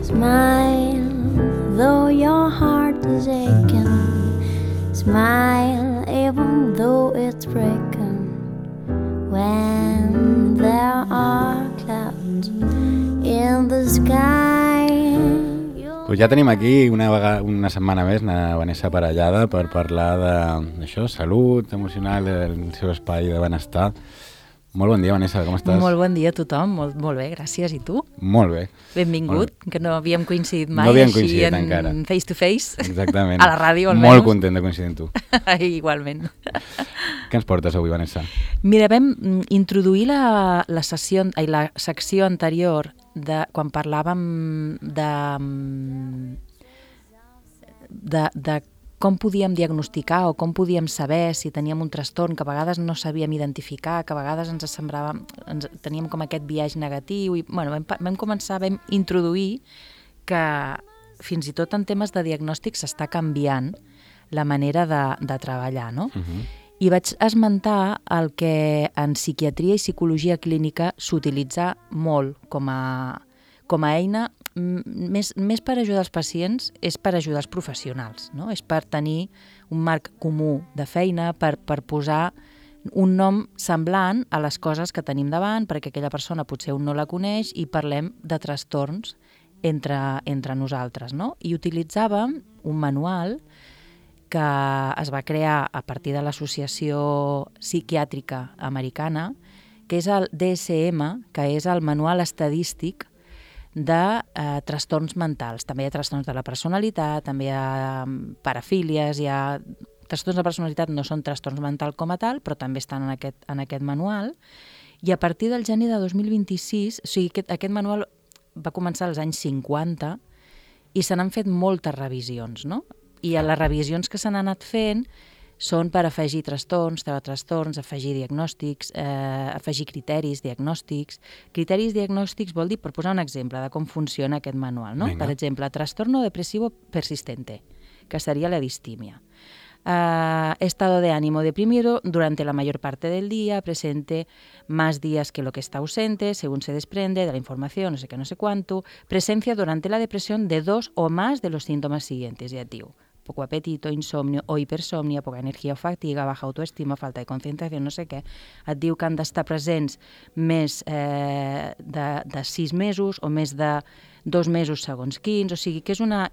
Smile, though your heart is aching. Smile, even though it's breaking. When there are clouds in the sky. Pues ja tenim aquí una setmana més na Vanessa Parellada per parlar d'això, salut emocional, del seu espai de benestar. Molt bon dia, Vanessa, com estàs? Molt bon dia a tothom, molt bé, gràcies. I tu? Molt bé. Benvingut, que no havíem coincidit mai, no havíem així coincidit en encara. face to face. Exactament. A la ràdio, almenys. Molt content de coincidir amb tu. Igualment. Què ens portes avui, Vanessa? Mira, vam introduir la secció anterior quan parlàvem de com podíem diagnosticar o com podíem saber si teníem un trastorn que a vegades no sabíem identificar, que a vegades ens semblava, teníem com aquest biaix negatiu i vam introduir que fins i tot en temes de diagnòstic s'està canviant la manera de treballar, no? I vaig esmentar el que en psiquiatria i psicologia clínica s'utilitza molt com a eina, més per ajudar els pacients, és per ajudar els professionals, no? És per tenir un marc comú de feina, per posar un nom semblant a les coses que tenim davant, perquè aquella persona potser un no la coneix i parlem de trastorns entre nosaltres, no? I utilitzàvem un manual que es va crear a partir de l'Associació Psiquiàtrica Americana, que és el DSM, que és el manual estadístic de trastorns mentals. També hi ha trastorns de la personalitat, també hi ha parafílies, hi ha trastorns de personalitat, no són trastorns mentals com a tal, però també estan en aquest manual. I a partir del gener de 2026, o sigui, aquest manual va començar als anys 50 i se n'han fet moltes revisions, no? I a les revisions que se n'han anat fent són per afegir trastorns, treure trastorns, afegir diagnòstics, afegir criteris diagnòstics. Criteris diagnòstics vol dir, per posar un exemple de com funciona aquest manual, no? Venga. Per exemple, trastorno depresivo persistente, que seria la distimia. Estado de ánimo deprimido durante la mayor parte del día, presente más días que lo que está ausente, según se desprende de la información, no sé qué, no sé cuánto, presencia durante la depresión de 2 o más de los síntomas siguientes, ja et diu. Poco apetito, insomnio o hipersomnia, poca energia o fatiga, baja autoestima, falta de concentració, no sé què. Et diu que han d'estar presents més de 6 mesos o més de 2 mesos segons quins, o sigui que és una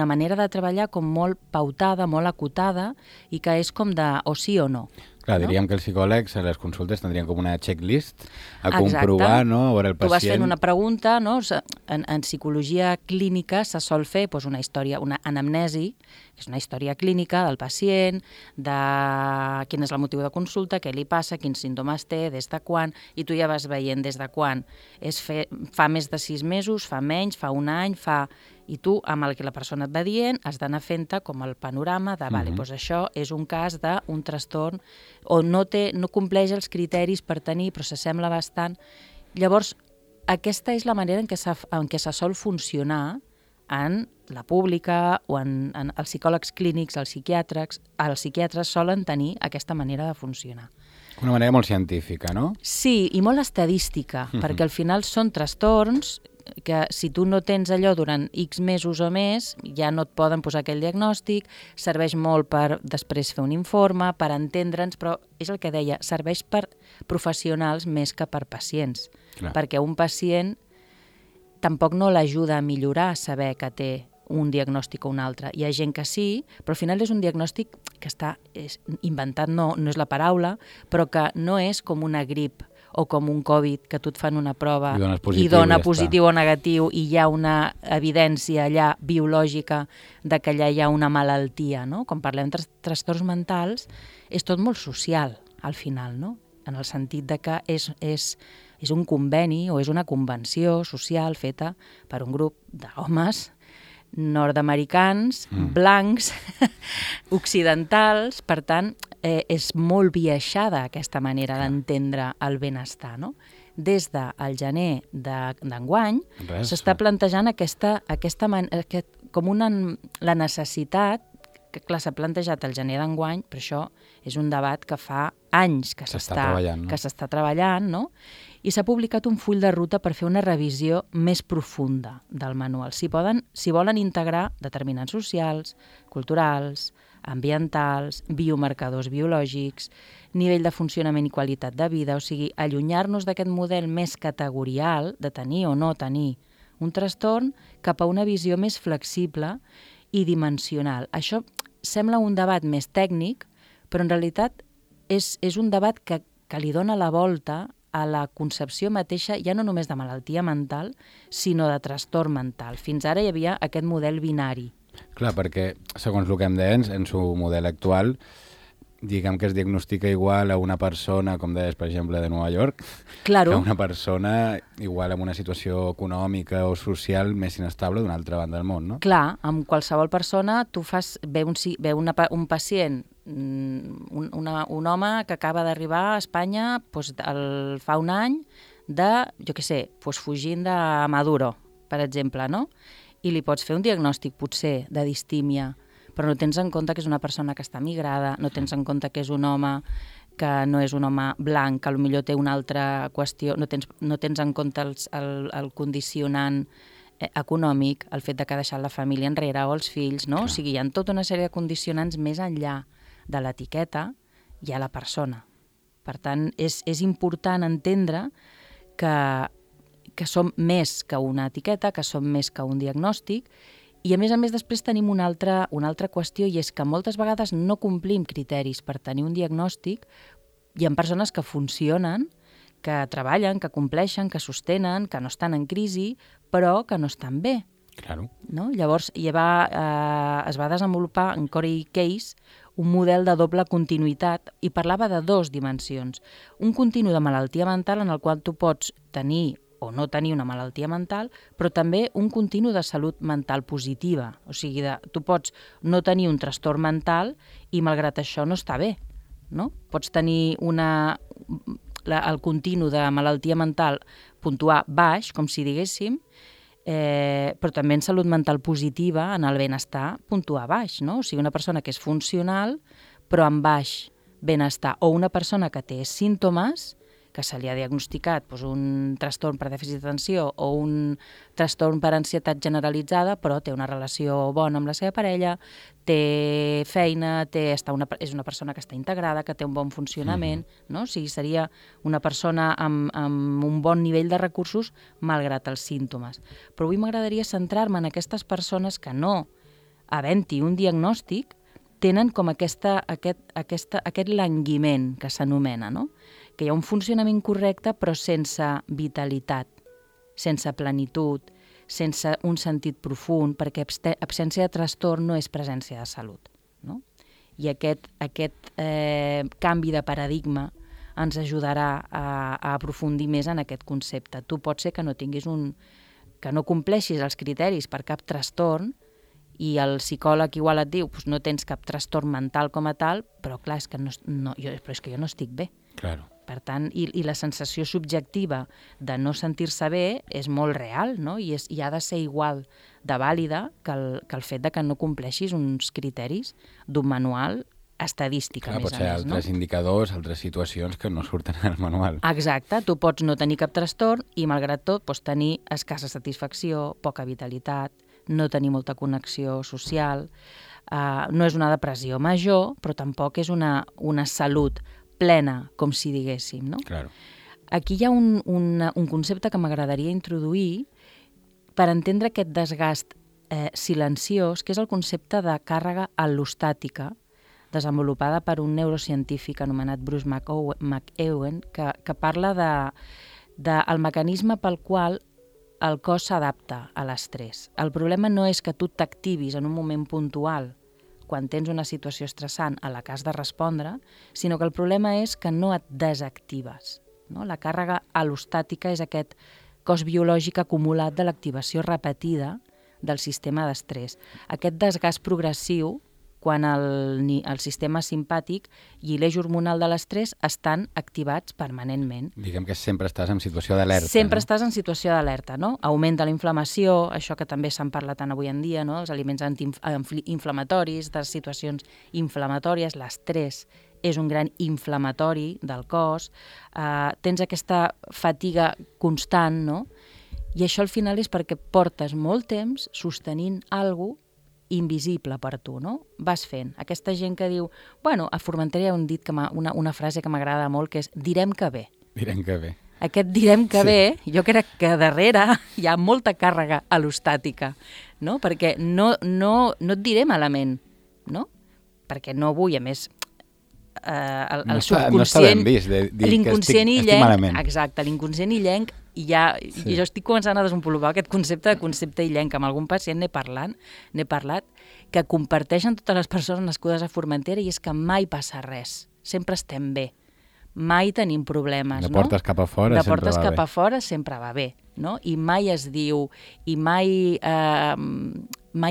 manera de treballar com molt pautada, molt acotada i que és com de o sí o no. Clar, diríem que els psicòlegs a les consultes tindrien com una checklist a comprovar, no? A veure el pacient. Tu vas fent una pregunta, no? En psicologia clínica se sol fer una història, una anamnesi, que és una història clínica del pacient, de quin és el motiu de consulta, què li passa, quins símptomes té, des de quan, i tu ja vas veient des de quan. Fa més de 6 mesos, fa menys, fa un any, i tu, amb el que la persona et va dient, has d'anar fent-te com el panorama de, vale, doncs això és un cas d'un trastorn o no compleix els criteris per tenir, però s'assembla bastant. Llavors, aquesta és la manera en què se sol funcionar en la pública o en els psicòlegs clínics, els psiquiatres solen tenir aquesta manera de funcionar. Una manera molt científica, no? Sí, i molt estadística, perquè al final són trastorns que si tu no tens allò durant X mesos o més, ja no et poden posar aquell diagnòstic, serveix molt per després fer un informe, per entendre'ns, però és el que deia, serveix per professionals més que per pacients, perquè un pacient tampoc no l'ajuda a millorar saber que té un diagnòstic o un altre. Hi ha gent que sí, però al final és un diagnòstic que està inventat, no és la paraula, però que no és com una grip o com un Covid, que tu et fan una prova i dona positiu o negatiu i hi ha una evidència allà biològica de que allà hi ha una malaltia, no? Quan parlem de trastorns mentals, és tot molt social, al final, no? En el sentit de que és un conveni o és una convenció social feta per un grup d'homes nord-americans, blancs, occidentals, per tant, és molt viaixada aquesta manera d'entendre el benestar, no? Des del gener d'enguany s'està plantejant la necessitat que clar, s'ha plantejat el gener d'enguany, però això és un debat que fa anys que s'està treballant, no? I s'ha publicat un full de ruta per fer una revisió més profunda del manual. Si volen integrar determinants socials, culturals, ambientals, biomarcadors biològics, nivell de funcionament i qualitat de vida, o sigui, allunyar-nos d'aquest model més categorial de tenir o no tenir un trastorn cap a una visió més flexible i dimensional. Això sembla un debat més tècnic, però en realitat és un debat que li dona la volta a la concepció mateixa ja no només de malaltia mental, sinó de trastorn mental. Fins ara hi havia aquest model binari. Clar, perquè, segons el que em deien, en su model actual, diguem que es diagnostica igual a una persona, com deies, per exemple, de Nova York, claro, que a una persona igual amb una situació econòmica o social més inestable d'una altra banda del món, no? Clar, amb qualsevol persona tu ve un pacient, un home que acaba d'arribar a Espanya fa un any jo què sé, fugint de Maduro, per exemple, no? I li pots fer un diagnòstic, potser, de distímia, però no tens en compte que és una persona que està migrada, no tens en compte que és un home que no és un home blanc, que potser té una altra qüestió, no tens en compte el condicionant econòmic, el fet de que ha deixat la família enrere o els fills, no? O sigui, hi ha tota una sèrie de condicionants més enllà de l'etiqueta i a la persona. Per tant, és important entendre que som més que una etiqueta, que som més que un diagnòstic, i a més després tenim una altra qüestió, i és que moltes vegades no complim criteris per tenir un diagnòstic. Hi ha persones que funcionen, que treballen, que compleixen, que sostenen, que no estan en crisi, però que no estan bé. Claro. No? Llavors es va desenvolupar en Corey Case un model de doble continuïtat i parlava de 2 dimensions. Un continu de malaltia mental en el qual tu pots tenir o no tenir una malaltia mental, però també un continu de salut mental positiva. O sigui, tu pots no tenir un trastorn mental i malgrat això no està bé. No? Pots tenir el continu de malaltia mental puntuar baix, com si diguéssim, però també en salut mental positiva, en el benestar, puntuar baix. No? O sigui, una persona que és funcional, però amb baix benestar, o una persona que té símptomes, que se li ha diagnosticat un trastorn per dèficit d'atenció o un trastorn per ansietat generalitzada, però té una relació bona amb la seva parella, té feina, és una persona que està integrada, que té un bon funcionament, no? O sigui, seria una persona amb un bon nivell de recursos malgrat els símptomes. Però avui m'agradaria centrar-me en aquestes persones que no, havent-hi un diagnòstic, tenen com aquest languiment que s'anomena, no? Que hi ha un funcionament correcte però sense vitalitat, sense plenitud, sense un sentit profund, perquè absència de trastorn no és presència de salut. No? I aquest canvi de paradigma ens ajudarà a aprofundir més en aquest concepte. Tu pot ser que no compleixis els criteris per cap trastorn i el psicòleg igual et diu no tens cap trastorn mental com a tal, però clar, és que jo no estic bé. Claro. Per tant, i la sensació subjectiva de no sentir-se bé és molt real, no? I ha de ser igual de vàlida que el fet de que no compleixis uns criteris d'un manual estadístic, a més a més. Pot ser altres indicadors, altres situacions que no surten al manual. Exacte, tu pots no tenir cap trastorn i malgrat tot pots tenir escassa satisfacció, poca vitalitat, no tenir molta connexió social, no és una depressió major, però tampoc és una salut plena, com si diguéssim, no? Claro. Aquí hi ha un concepte que m'agradaria introduir per entendre aquest desgast silenciós, que és el concepte de càrrega al·lostàtica, desenvolupada per un neurocientífic anomenat Bruce McEwen, que parla del mecanisme pel qual el cos s'adapta a l'estrès. El problema no és que tu t'activis en un moment puntual quan tens una situació estressant a la que has de respondre, sinó que el problema és que no et desactives. No? La càrrega al·lostàtica és aquest cos biològic acumulat de l'activació repetida del sistema d'estrès. Aquest desgast progressiu quan el sistema simpàtic i l'eix hormonal de l'estrès estan activats permanentment. Diguem que sempre estàs en situació d'alerta. Sempre estàs en situació d'alerta, no? Augmenta la inflamació, això que també se'n parla tant avui en dia, no? Els aliments antiinflamatoris, de situacions inflamatòries, l'estrès és un gran inflamatori del cos, tens aquesta fatiga constant, no? I això al final és perquè portes molt temps sostenint alguna cosa invisible per tu, no? Vas fent. Aquesta gent que diu... Bueno, a Formentera hi ha un dit, una frase que m'agrada molt, que és direm que bé. Direm que bé. Aquest direm que bé, jo crec que darrere hi ha molta càrrega al·lostàtica, no? Perquè no et diré malament, no? Perquè no vull, a més, el subconscient... No està ben vist de dir que estic malament. Exacte, l'inconscient illenc, i jo estic començant a desenvolupar aquest concepte illenc. Amb algun pacient n'he parlat, que comparteixen totes les persones nascudes a Formentera, i és que mai passa res, sempre estem bé, mai tenim problemes. De portes cap a fora sempre va bé, no? I mai es diu, i mai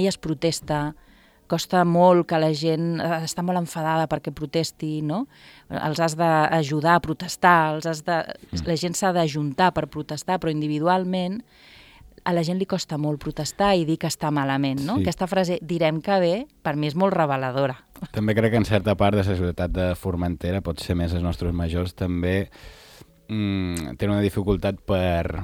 es protesta. Costa molt que la gent està molt enfadada perquè protesti, no? Els has d'ajudar a protestar, la gent s'ha d'ajuntar per protestar, però individualment a la gent li costa molt protestar i dir que està malament, no? Sí. Aquesta frase, direm que bé, per mi és molt reveladora. També crec que en certa part de la societat de Formentera, pot ser més els nostres majors, també tenen una dificultat per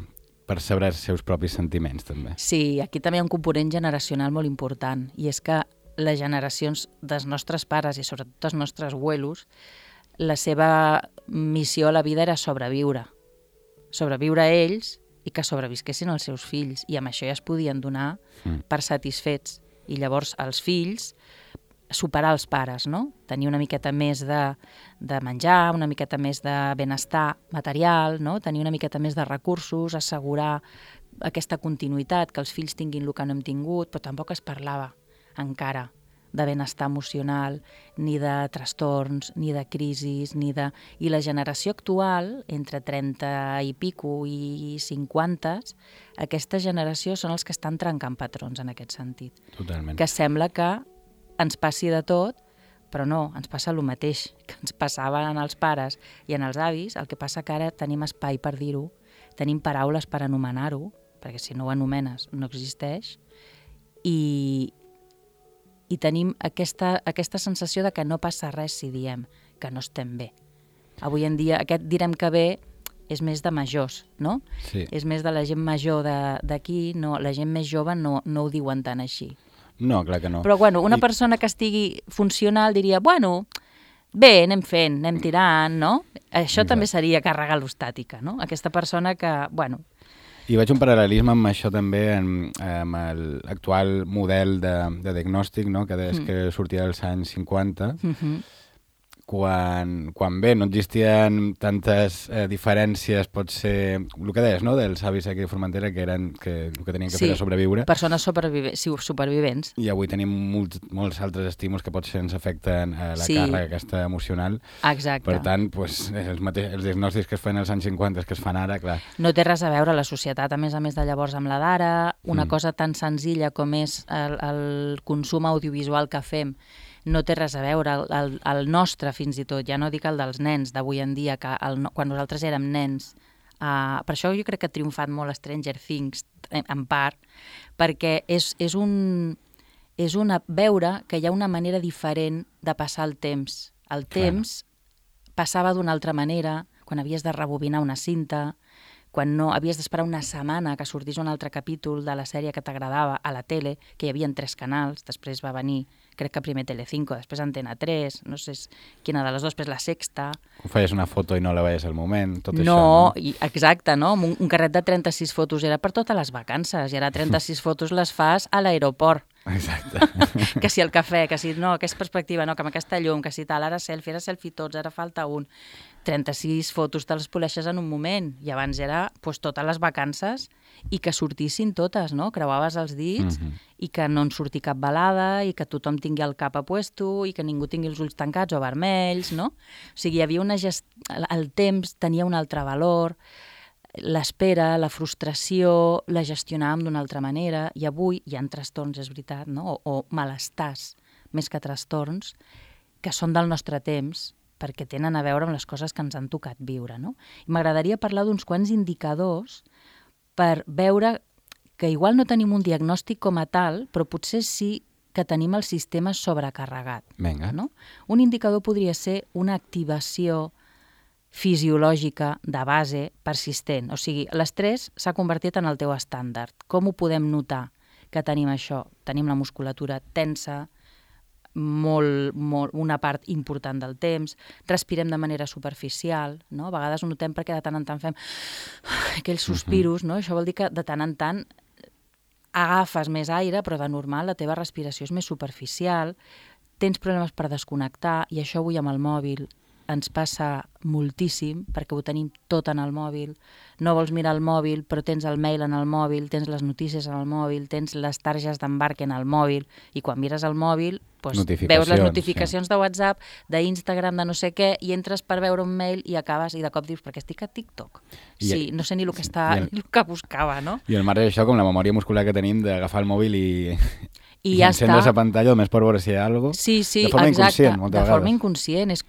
saber els seus propis sentiments, també. Sí, aquí també hi ha un component generacional molt important, i és que les generacions dels nostres pares i sobretot dels nostres abuelos, la seva missió a la vida era sobreviure a ells i que sobrevisquessin els seus fills, i amb això ja es podien donar per satisfets. I llavors els fills superar els pares, no? Tenir una miqueta més de menjar, una miqueta més de benestar material, no? Tenir una miqueta més de recursos, assegurar aquesta continuïtat, que els fills tinguin el que no hem tingut, però tampoc es parlava encara de benestar emocional, ni de trastorns, ni de crisis, I la generació actual, entre 30 i pico i 50, aquesta generació són els que estan trencant patrons en aquest sentit. Totalment. Que sembla que ens passi de tot, però no, ens passa el mateix que ens passava en els pares i en els avis, el que passa que ara tenim espai per dir-ho, tenim paraules per anomenar-ho, perquè si no ho anomenes no existeix, i tenim aquesta sensació de que no passa res si diem que no estem bé. Avui en dia aquest direm que bé és més de majors, no? Sí. És més de la gent major d'aquí, no, la gent més jove no ho diuen tant així. No, clar que no. Però bueno, una persona que estigui funcional diria, bueno, bé, anem fent, anem tirant, no? Això també seria càrrega al·lostàtica, no? Aquesta persona que, bueno... I veig un paral·lelisme amb això també, amb l'actual model de diagnòstic, no? Que des que sortia dels anys 50, quan bé, no existien tantes diferències, pot ser, el que deies, no?, dels avis aquí de Formentera, que el que tenien que fer era sobreviure. Persones supervivents. I avui tenim molts altres estímuls que potser ens afecten la càrrega aquesta emocional. Exacte. Per tant, els diagnòstics que es fan als anys 50 que es fan ara, clar. No té res a veure la societat, a més de llavors, amb la d'ara. Una cosa tan senzilla com és el consum audiovisual que fem no té res a veure, el nostre fins i tot, ja no dic el dels nens d'avui en dia, que quan nosaltres érem nens, per això jo crec que ha triomfat molt Stranger Things, en part, perquè és veure que hi ha una manera diferent de passar el temps. El temps passava d'una altra manera, quan havies de rebobinar una cinta, quan no havies d'esperar una setmana que sortís un altre capítol de la sèrie que t'agradava a la tele, que hi havia 3 canals, després va venir, crec que primer Telecinco, després Antena 3, no sé quina de les dues, després La Sexta. Quan feies una foto i no la veies al moment, tot això. No, exacte, no? Un carret de 36 fotos era per totes les vacances, i ara 36 fotos les fas a l'aeroport. Exacte. Que si el cafè, que si no, aquesta perspectiva, no, que amb aquesta llum, que si tal, ara selfie tots, ara falta un. 36 fotos te les poleixes en un moment, i abans era totes les vacances i que sortissin totes, no? Creuaves els dits i que no en surti cap balada i que tothom tingui el cap a puesto i que ningú tingui els ulls tancats o vermells, no? O sigui, hi havia el temps tenia un altre valor, l'espera, la frustració, la gestionàvem d'una altra manera, i avui hi ha trastorns, és veritat, no? O malestars més que trastorns, que són del nostre temps, perquè tenen a veure amb les coses que ens han tocat viure, no? I m'agradaria parlar d'uns quants indicadors per veure que igual no tenim un diagnòstic com a tal, però potser sí que tenim el sistema sobrecarregat. Vinga. No? Un indicador podria ser una activació fisiològica de base persistent. O sigui, l'estrès s'ha convertit en el teu estàndard. Com ho podem notar que tenim això? Tenim la musculatura tensa, una part important del temps, respirem de manera superficial, no? A vegades ho notem perquè de tant en tant fem aquells sospiros, no? Això vol dir que de tant en tant agafes més aire, però de normal la teva respiració és més superficial, tens problemes per desconnectar, i això avui amb el mòbil ens passa moltíssim, perquè ho tenim tot en el mòbil. No vols mirar el mòbil, però tens el mail en el mòbil, tens les notícies en el mòbil, tens les targes d'embarque en el mòbil, i quan mires el mòbil veus les notificacions de WhatsApp, d'Instagram, de no sé què, i entres per veure un mail i acabes, i de cop dius, perquè estic a TikTok. Sí, no sé ni el que buscava, no? I al marge d'això, com la memòria muscular que tenim d'agafar el mòbil i ja encendre està. la pantalla, només per veure si hi ha alguna cosa. Sí, de forma exacte, inconscient, moltes vegades. De forma inconscient. És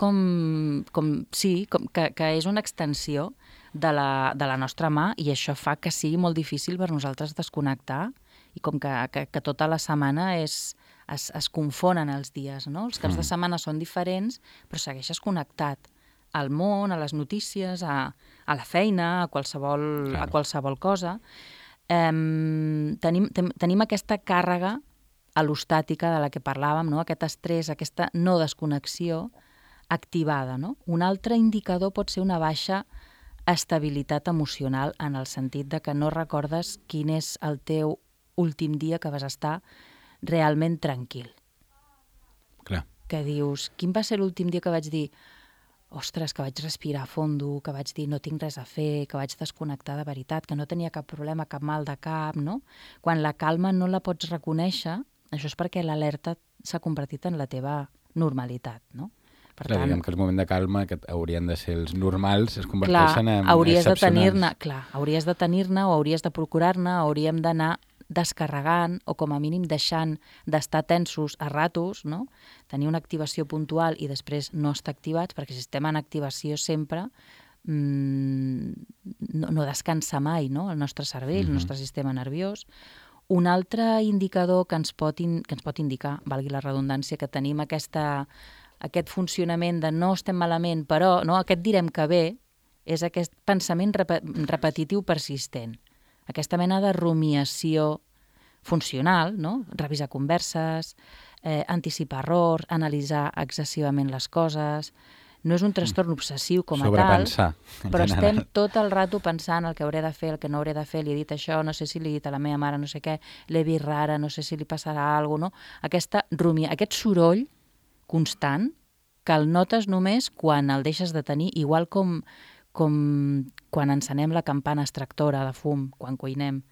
que és una extensió de la nostra mà, i això fa que sigui molt difícil per nosaltres desconnectar, i com que tota la setmana es confonen els dies, no? Els caps de setmana són diferents, però segueixes connectat al món, a les notícies, a la feina, a qualsevol cosa. Tenim aquesta càrrega alostàtica de la que parlàvem, no? Aquest estrès, aquesta no desconnexió activada, no? Un altre indicador pot ser una baixa estabilitat emocional, en el sentit de que no recordes quin és el teu últim dia que vas estar realment tranquil. Clar. Que dius, quin va ser l'últim dia que vaig dir ostres, que vaig respirar a fondo, que vaig dir no tinc res a fer, que vaig desconnectar de veritat, que no tenia cap problema, cap mal de cap, no? Quan la calma no la pots reconèixer, això és perquè l'alerta s'ha convertit en la teva normalitat, no? Per tant, diguem que el moment de calma, que haurien de ser els normals, es converteixen en excepcionals. Hauries de tenir-ne o hauries de procurar-ne, hauríem d'anar descarregant o com a mínim deixant d'estar tensos a ratos, no? Tenir una activació puntual i després no estar activats, perquè si estem en activació sempre no descansa mai, no? El nostre cervell, el nostre sistema nerviós. Un altre indicador que ens pot indicar, valgui la redundància, que tenim aquest funcionament de no estem malament, però no, aquest direm que bé, és aquest pensament repetitiu persistent. Aquesta mena de rumiació funcional, no? Revisar converses, anticipar errors, analitzar excessivament les coses. No és un trastorn obsessiu com a tal, sobrepensar, però estem tot el rato pensant el que hauré de fer, el que no hauré de fer, li he dit això, no sé si li he dit a la meva mare, no sé què, l'he vist rara, no sé si li passarà alguna cosa, no? Aquest soroll constant que el notes només quan el deixes de tenir, igual com quan encenem la campana extractora de fum, quan cuinem,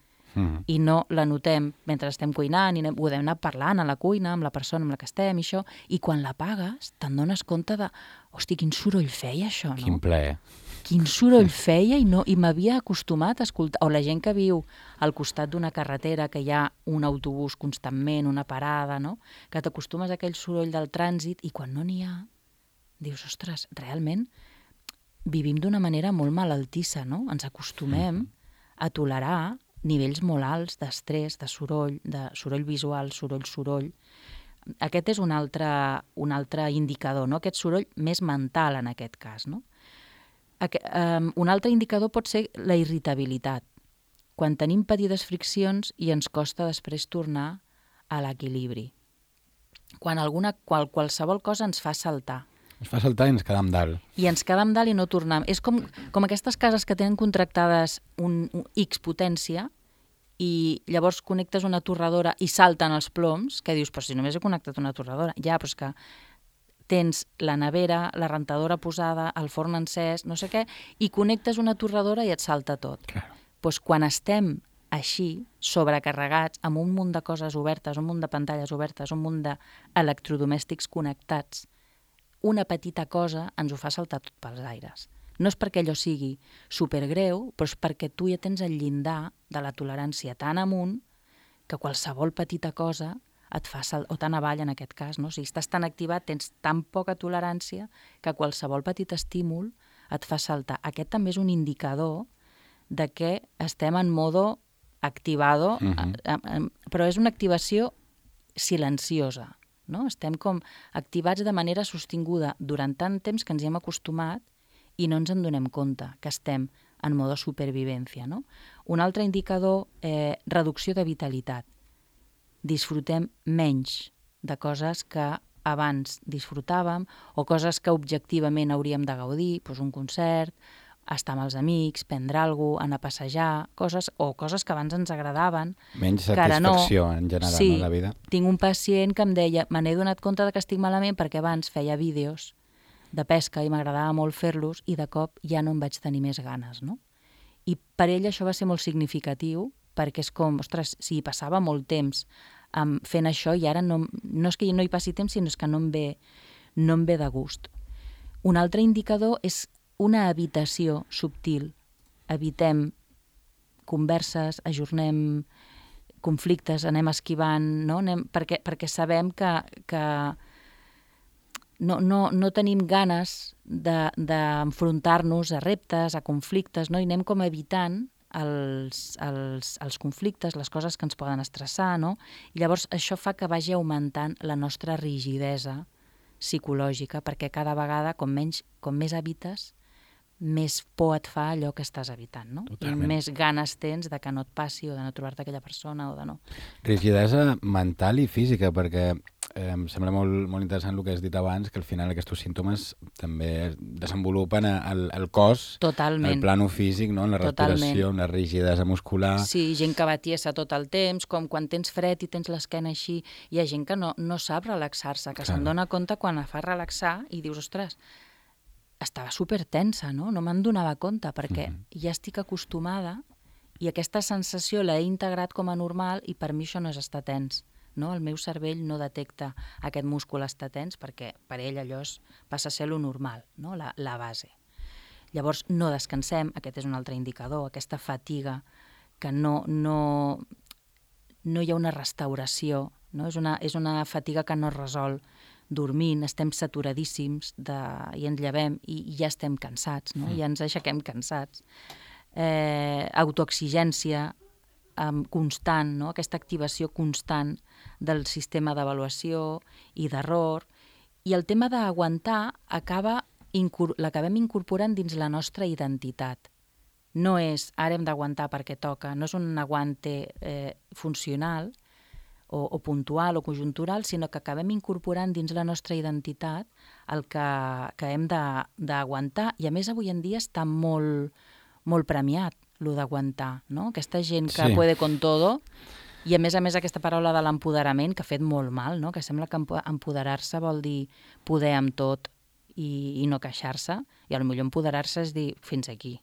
i no la notem mentre estem cuinant, i podem anar parlant a la cuina amb la persona amb la que estem, i això, i quan l'apagues te'n dones compte de, hosti, quin soroll feia això, no? Quin plaer. Quin soroll feia, i m'havia acostumat a escoltar, o la gent que viu al costat d'una carretera, que hi ha un autobús constantment, una parada, no? Que t'acostumes a aquell soroll del trànsit, i quan no n'hi ha, dius, ostres, realment vivim d'una manera molt malaltissa, no? Ens acostumem a tolerar nivells molt alts d'estrès, de soroll visual, soroll. Aquest és un altre indicador, no? Aquest soroll més mental en aquest cas, no? Un altre indicador pot ser la irritabilitat. Quan tenim petites friccions i ens costa després tornar a l'equilibri. Quan qualsevol cosa ens fa saltar. Ens fa saltar i ens quedam dalt. I ens quedam dalt i no tornem. És com aquestes cases que tenen contractades un X potència i llavors connectes una torradora i salten els ploms, que dius, però si només he connectat una torradora. Ja, però és que tens la nevera, la rentadora posada, el forn encès, no sé què, i connectes una torradora i et salta tot. Claro. Doncs quan estem així, sobrecarregats, amb un munt de coses obertes, un munt de pantalles obertes, un munt d'electrodomèstics connectats, una petita cosa ens ho fa saltar tot pels aires. No és perquè allò sigui supergreu, però és perquè tu ja tens el llindar de la tolerància tan amunt que qualsevol petita cosa et fa o tan avall en aquest cas, no? Si estàs tan activat, tens tan poca tolerància que qualsevol petit estímul et fa saltar. Aquest també és un indicador de que estem en modo activado, però és una activació silenciosa, no? Estem com activats de manera sostinguda durant tant temps que ens hi hem acostumat i no ens en donem compte que estem en modo supervivència, no? Un altre indicador, reducció de vitalitat. Disfrutem menys de coses que abans disfrutàvem o coses que objectivament hauríem de gaudir, doncs un concert, estar amb els amics, prendre alguna cosa, anar a passejar, coses que abans ens agradaven. Menys satisfacció en general, sí, no, la vida. Tinc un pacient que em deia, me n'he donat compte de que estic malament perquè abans feia vídeos de pesca i m'agradava molt fer-los i de cop ja no em vaig tenir més ganes, no? I per ell això va ser molt significatiu perquè és com, ostres, si passava molt temps fent això i ara no és que no hi passi temps, sinó és que no em ve de gust. Un altre indicador és una evitació subtil. Evitem converses, ajornem conflictes, anem esquivant, no? Perquè sabem que no tenim ganes d'enfrontar-nos a reptes, a conflictes, no? I anem com evitant els conflictes, les coses que ens poden estressar, no? I llavors això fa que vagi augmentant la nostra rigidesa psicològica, perquè cada vegada, com més evites, més por et fa allò que estàs evitant, no? Totalment. I més ganes tens de que no et passi o de no trobar-te aquella persona o de no. Rigidesa mental i física, perquè em sembla molt interessant el que has dit abans, que al final aquests símptomes també desenvolupen el cos, totalment, el plano físic, no? En la respiració, en la rigidesa muscular. Sí, gent que va tiesa tot el temps, com quan tens fred i tens l'esquena així, hi ha gent que no sap relaxar-se, que se'n dona compte quan la fa relaxar i dius, ostres, estava supertensa, no? No me'n donava compte perquè ja estic acostumada i aquesta sensació l'he integrat com a normal i per mi això no és estar tens. No? El meu cervell no detecta aquest múscul estar tens perquè per ell allò passa a ser lo normal, no? La base. Llavors no descansem, aquest és un altre indicador, aquesta fatiga, que no hi ha una restauració, no? És una fatiga que no es resol dormint, estem saturadíssims i ens llevem i ja estem cansats, no? Ja ens aixequem cansats. Autoexigència constant, no? Aquesta activació constant del sistema d'avaluació i d'error. I el tema d'aguantar l'acabem incorporant dins la nostra identitat. No és ara hem d'aguantar perquè toca, no és un aguante funcional o puntual o conjuntural, sinó que acabem incorporant dins la nostra identitat el que hem d'aguantar. I a més avui en dia està molt, molt premiat, lo d'aguantar, no? Aquesta gent que puede con todo, i a més aquesta paraula de l'empoderament que ha fet molt mal, no? Que sembla que empoderar-se vol dir poder amb tot i no queixar-se, i potser empoderar-se és dir fins aquí.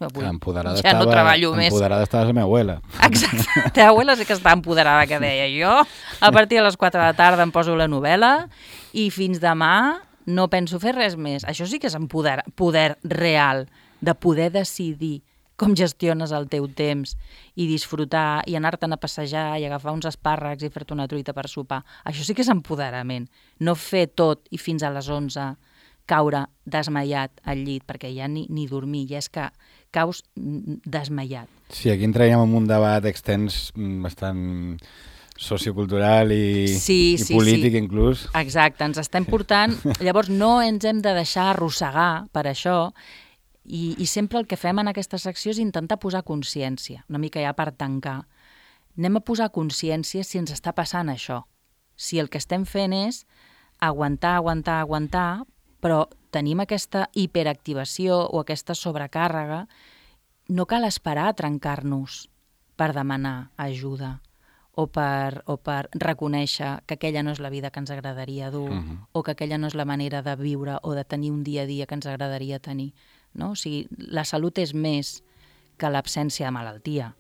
Avui ja no treballo més. Empoderada estava la meva abuela. Exacte, la teva abuela sí que està empoderada, que deia jo. A partir de les 4 de la tarda em poso la novel·la i fins demà no penso fer res més. Això sí que és poder real, de poder decidir com gestiones el teu temps i disfrutar i anar-te'n a passejar i agafar uns espàrrecs i fer-te una truita per sopar. Això sí que és empoderament. No fer tot i fins a les 11 caure desmaiat al llit, perquè ja ni dormir, ja és que caus desmaiat. Sí, aquí entraríem en un debat extens bastant sociocultural i polític inclús. Exacte, ens estem portant... Llavors no ens hem de deixar arrossegar per això i sempre el que fem en aquesta secció és intentar posar consciència, una mica ja per tancar. Anem a posar consciència si ens està passant això. Si el que estem fent és aguantar, però tenim aquesta hiperactivació o aquesta sobrecàrrega, no cal esperar a trencar-nos per demanar ajuda o per reconèixer que aquella no és la vida que ens agradaria dur o que aquella no és la manera de viure o de tenir un dia a dia que ens agradaria tenir. No? O sigui, la salut és més que l'absència de malaltia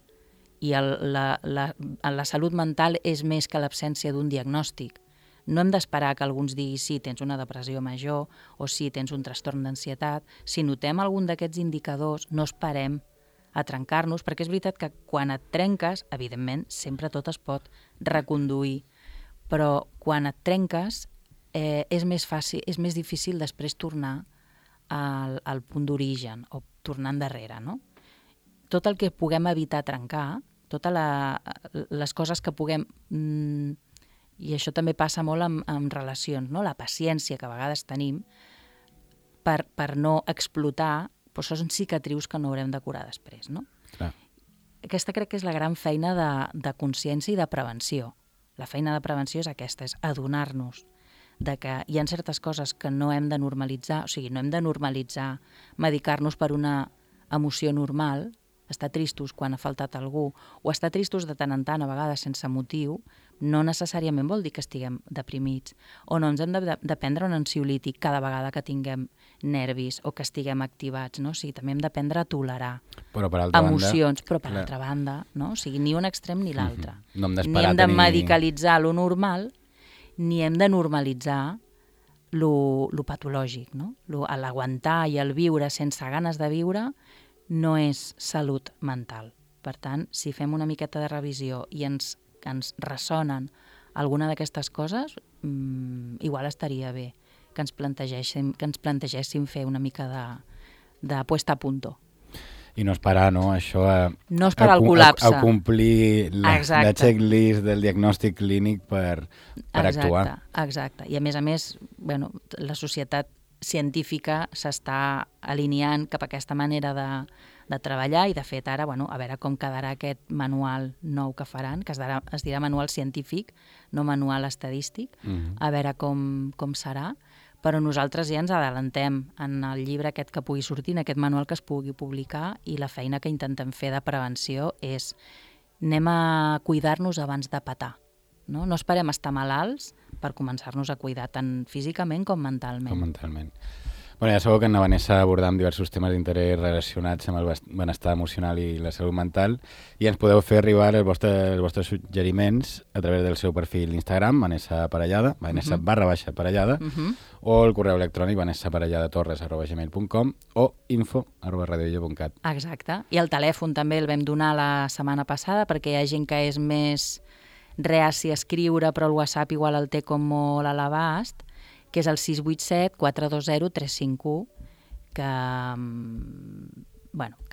i la salut mental és més que l'absència d'un diagnòstic. No hem d'esperar que algú ens digui sí, tens una depressió major o sí, tens un trastorn d'ansietat. Si notem algun d'aquests indicadors, no esperem a trencar-nos, perquè és veritat que quan et trenques, evidentment, sempre tot es pot reconduir. però quan et trenques és més fàcil, és més difícil després tornar al punt d'origen o tornar endarrere, no? Tot el que puguem evitar trencar, totes les coses que puguem... I això també passa molt amb relacions, no? La paciència que a vegades tenim per no explotar, però són cicatrius que no haurem de curar després, no? Clar. Aquesta crec que és la gran feina de consciència i de prevenció. La feina de prevenció és aquesta, és adonar-nos de que hi ha certes coses que no hem de normalitzar, o sigui, no hem de normalitzar medicar-nos per una emoció normal, estar tristos quan ha faltat algú, o estar tristos de tant en tant, a vegades sense motiu, no necessàriament vol dir que estiguem deprimits, o no ens hem de prendre un ansiolític cada vegada que tinguem nervis o que estiguem activats, no? O sigui, també hem d'aprendre a tolerar emocions, però per altra banda, no? O sigui, ni un extrem ni l'altre. No hem ni hem de medicalitzar lo normal, ni hem de normalitzar lo patològic, no? L'aguantar i el viure sense ganes de viure no és salut mental. Per tant, si fem una miqueta de revisió i ens ressonen alguna d'aquestes coses, igual estaria bé que ens plantegéssim fer una mica de puesta a punto. I no esperar, no? Això no esperar el col·lapse. A complir la checklist del diagnòstic clínic per actuar. Exacte. I a més, bueno, la societat científica s'està alineant cap a aquesta manera de treballar i de fet ara, bueno, a veure com quedarà aquest manual nou que faran, que es dirà manual científic, no manual estadístic, a veure com serà, però nosaltres ja ens adelantem en el llibre aquest que pugui sortir, en aquest manual que es pugui publicar, i la feina que intentem fer de prevenció és anem a cuidar-nos abans de petar. No esperem estar malalts per començar-nos a cuidar tant físicament com mentalment. Bueno, ja sabeu que en la Vanessa abordam diversos temes d'interès relacionats amb el benestar emocional i la salut mental i ens podeu fer arribar els vostres suggeriments a través del seu perfil d'Instagram, Vanessa Parellada, Vanessa_Parellada, o el correu electrònic vanessaparelladatorres@gmail.com o info@radioilla.cat. Exacte. I el telèfon també el vam donar la setmana passada perquè hi ha gent que és més reaci a escriure, però el WhatsApp igual el té com molt a l'abast, que és el 687-420-351, que a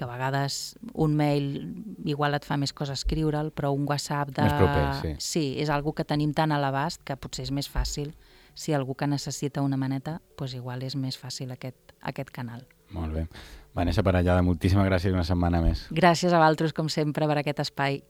vegades un mail igual et fa més cosa escriure'l, però un WhatsApp més proper, sí, és algo que tenim tan a l'abast que potser és més fàcil. Si algú que necessita una maneta, doncs igual és més fàcil aquest canal. Molt bé. Vanessa Parellada, moltíssimes gràcies una setmana més. Gràcies a vosaltres, com sempre, per aquest espai.